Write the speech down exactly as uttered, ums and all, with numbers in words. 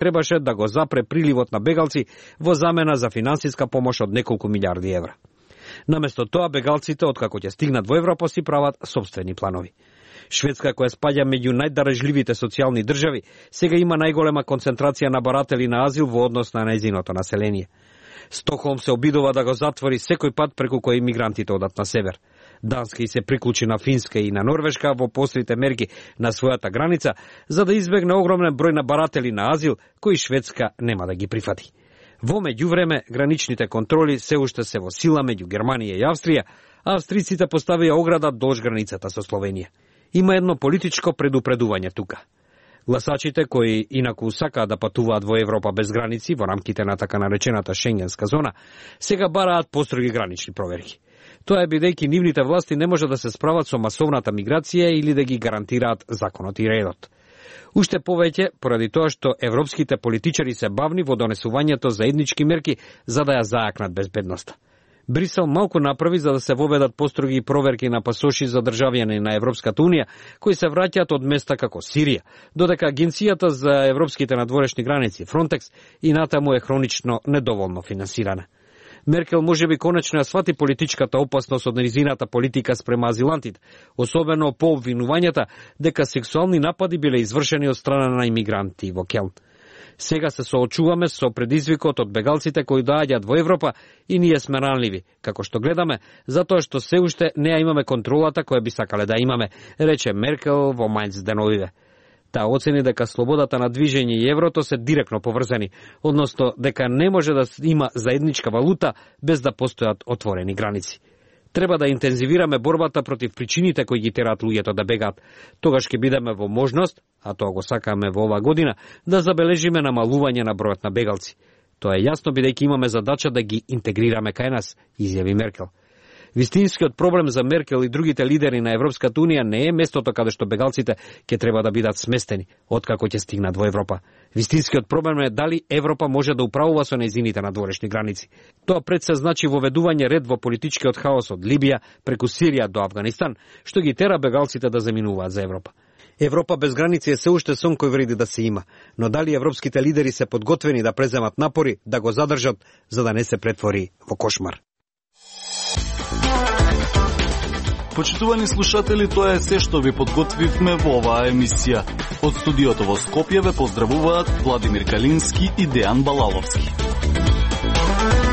требаше да го запре приливот на бегалци во замена за финансиска помош од неколку милиарди евра. Наместо тоа, бегалците, откако ќе стигнат во Европа, си прават собствени планови. Шведска, која спаѓа меѓу најдарежливите социјални држави, сега има најголема концентрација на баратели на азил во однос на нејзиното население. Стокхолм се обидува да го затвори секој пат преку кој имигрантите одат на север. Данска и се приклучи на Финска и на Норвешка во пострите мерки на својата граница, за да избегне огромен број на баратели на азил, кои Шведска нема да ги прифати. Во меѓувреме, граничните контроли се уште се во сила меѓу Германија и Австрија, а австриците поставија ограда долж границата со Словенија. Има едно политичко предупредување тука. Гласачите кои инаку сакаат да патуваат во Европа без граници во рамките на така наречената Шенгенска зона, сега бараат построги гранични проверки. Тоа е бидејќи нивните власти не може да се справат со масовната миграција или да ги гарантираат законот и редот. Уште повеќе поради тоа што европските политичари се бавни во донесувањето заеднички мерки за да ја заакнат безбедноста. Брисел малку направи за да се воведат построги проверки на пасоши за државјани на Европската унија кои се враќаат од места како Сирија, додека Агенцијата за европските надворешни граници Фронтекс и натаму е хронично недоволно финансирана. Меркел можеби конечно ја свати политичката опасност од незината политика спрема азилантите, особено по обвинувањата дека сексуални напади биле извршени од страна на имигранти во Келн. Сега се соочуваме со предизвикот од бегалците кои доаѓаат во Европа и ние сме ранливи, како што гледаме, затоа што се уште не ја имаме контролата која би сакале да имаме, рече Меркел во Мајнц деновиве. Таа оцени дека слободата на движење и еврото се директно поврзани, односно дека не може да има заедничка валута без да постојат отворени граници. Треба да интензивираме борбата против причините кои ги тераат луѓето да бегаат. Тогаш ќе бидеме во можност, а тоа го сакаме во оваа година, да забележиме намалување на бројот на бегалци. Тоа е јасно бидејќи имаме задача да ги интегрираме кај нас, изјави Меркел. Вистинскиот проблем за Меркел и другите лидери на Европската унија не е местото каде што бегалците ќе треба да бидат сместени, откако ќе стигнат во Европа. Вистинскиот проблем е дали Европа може да управува со нејзините надворешни граници. Тоа пред се значи воведување ред во политичкиот хаос од Либија преку Сирија до Авганистан, што ги тера бегалците да заминуваат за Европа. Европа без граници е се уште сон кој вреди да се има, но дали европските лидери се подготвени да преземат напори да го задржат за да не се претвори во кошмар? Почитувани слушатели, тоа е се што ви подготвивме во оваа емисија. Од студиото во Скопје ве поздравуваат Владимир Калински и Дејан Балаловски.